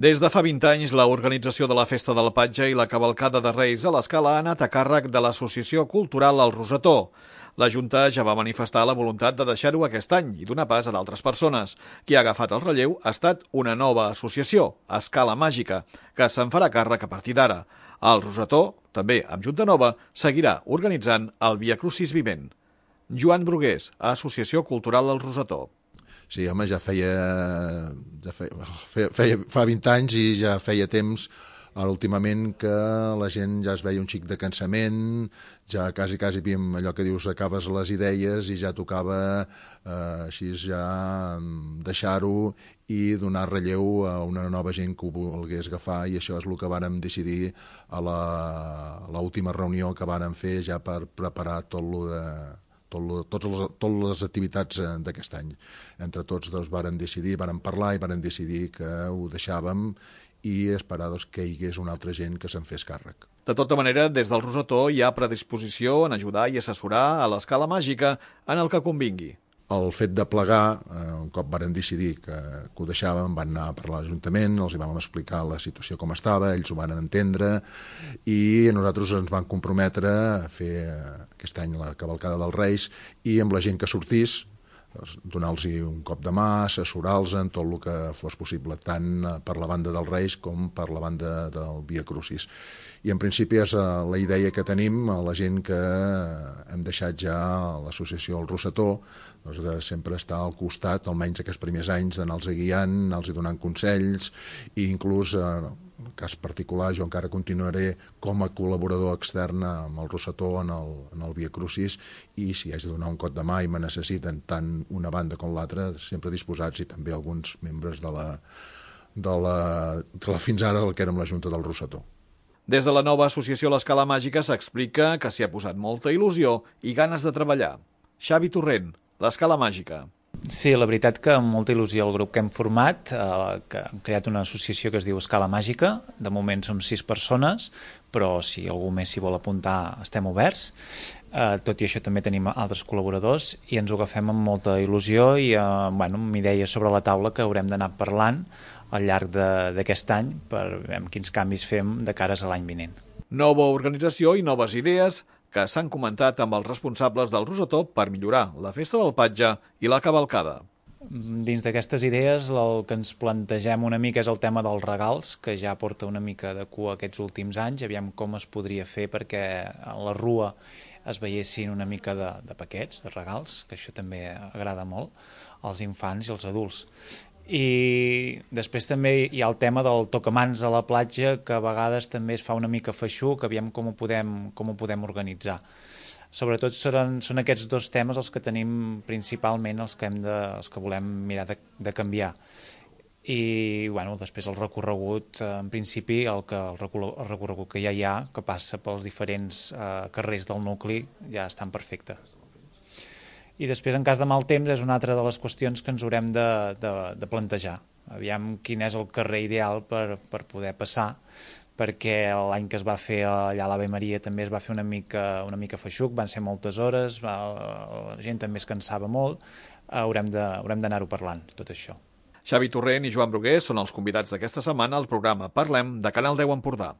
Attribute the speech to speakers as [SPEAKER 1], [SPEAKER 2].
[SPEAKER 1] Des de fa 20 anys, l'organització de la Festa del Patge i la cavalcada de Reis a l'Escala ha anat a càrrec de l'Associació Cultural El Rosetó. La Junta ja va manifestar la voluntat de deixar-ho aquest any i donar pas a d'altres persones. Qui ha agafat el relleu ha estat una nova associació, Escala Màgica, que se'n farà càrrec a partir d'ara. El Rosetó, també amb Junta Nova, seguirà organitzant el Via Crucis Vivent. Joan Brugués, Associació Cultural El Rosetó.
[SPEAKER 2] Sí, home, fa 20 anys i ja feia temps últimament que la gent ja es veia un xic de cansament, ja quasi havíem allò que dius, acabes les idees i ja tocava així ja deixar-ho i donar relleu a una nova gent que ho volgués agafar, i això és el que vàrem decidir a l'última reunió que vàrem fer ja per preparar totes les activitats d'aquest any. Entre tots vàrem decidir, vàrem parlar i vàrem decidir que ho deixàvem i esperar que hi hagués una altra gent que se'n fes càrrec.
[SPEAKER 1] De tota manera, des del Rosetó hi ha predisposició en ajudar i assessorar a l'Escala Màgica en el que convingui.
[SPEAKER 2] El fet de plegar, un cop vàrem decidir que ho deixàvem, van anar a parlar a l'Ajuntament, els vam explicar la situació com estava, ells ho van entendre i nosaltres ens vam comprometre a fer aquest any la cavalcada dels Reis i amb la gent que sortís, donar-los un cop de mà, assessorar-los en tot el que fos possible, tant per la banda dels Reis com per la banda del Via Crucis. I en principi és la idea que tenim, la gent que hem deixat ja a l'associació El Rosetó, de sempre estar al costat, almenys aquests primers anys, d'anar-los guiant, anar-los donant consells, i inclús, en el cas particular, jo encara continuaré com a col·laborador extern amb El Rosetó en el Via Crucis, i si haig de donar un cop de mà i me necessiten tant una banda com l'altra, sempre disposats, i també alguns membres de la fins ara el que érem la Junta del Rosetó.
[SPEAKER 1] Des de la nova associació l'Escala Màgica s'explica que s'hi ha posat molta il·lusió i ganes de treballar. Xavi Torrent, l'Escala Màgica.
[SPEAKER 3] Sí, la veritat que amb molta il·lusió el grup que hem format, que hem creat una associació que es diu Escala Màgica. De moment som 6 persones, però si algú més s'hi vol apuntar estem oberts. Tot i això també tenim altres col·laboradors i ens ho agafem amb molta il·lusió i amb idees sobre la taula que haurem d'anar parlant al llarg d'aquest any per veure quins canvis fem de cares a l'any vinent.
[SPEAKER 1] Nova organització i noves idees que s'han comentat amb els responsables del Rosetó per millorar la Festa del Patge i la cavalcada.
[SPEAKER 3] Dins d'aquestes idees el que ens plantegem una mica és el tema dels regals, que ja porta una mica de cua aquests últims anys, aviam com es podria fer perquè a la rua es veiessin una mica de paquets, de regals, que això també agrada molt als infants i als adults. I després també hi ha el tema del tocamans a la platja, que a vegades també es fa una mica feixuc, aviam com ho podem organitzar. Sobretot són aquests dos temes els que tenim principalment, els que volem mirar de canviar. I després el recorregut, en principi el recorregut que ja hi ha, que passa pels diferents carrers del nucli, ja estan perfectes. I després, en cas de mal temps, és una altra de les qüestions que ens haurem de plantejar. Aviam quin és el carrer ideal per poder passar, perquè l'any que es va fer allà a l'Ave Maria també es va fer una mica feixuc, van ser moltes hores, la gent també es cansava molt, haurem d'anar-ho parlant, tot això.
[SPEAKER 1] Xavi Torrent i Joan Brugués són els convidats d'aquesta setmana al programa Parlem de Canal 10 Empordà.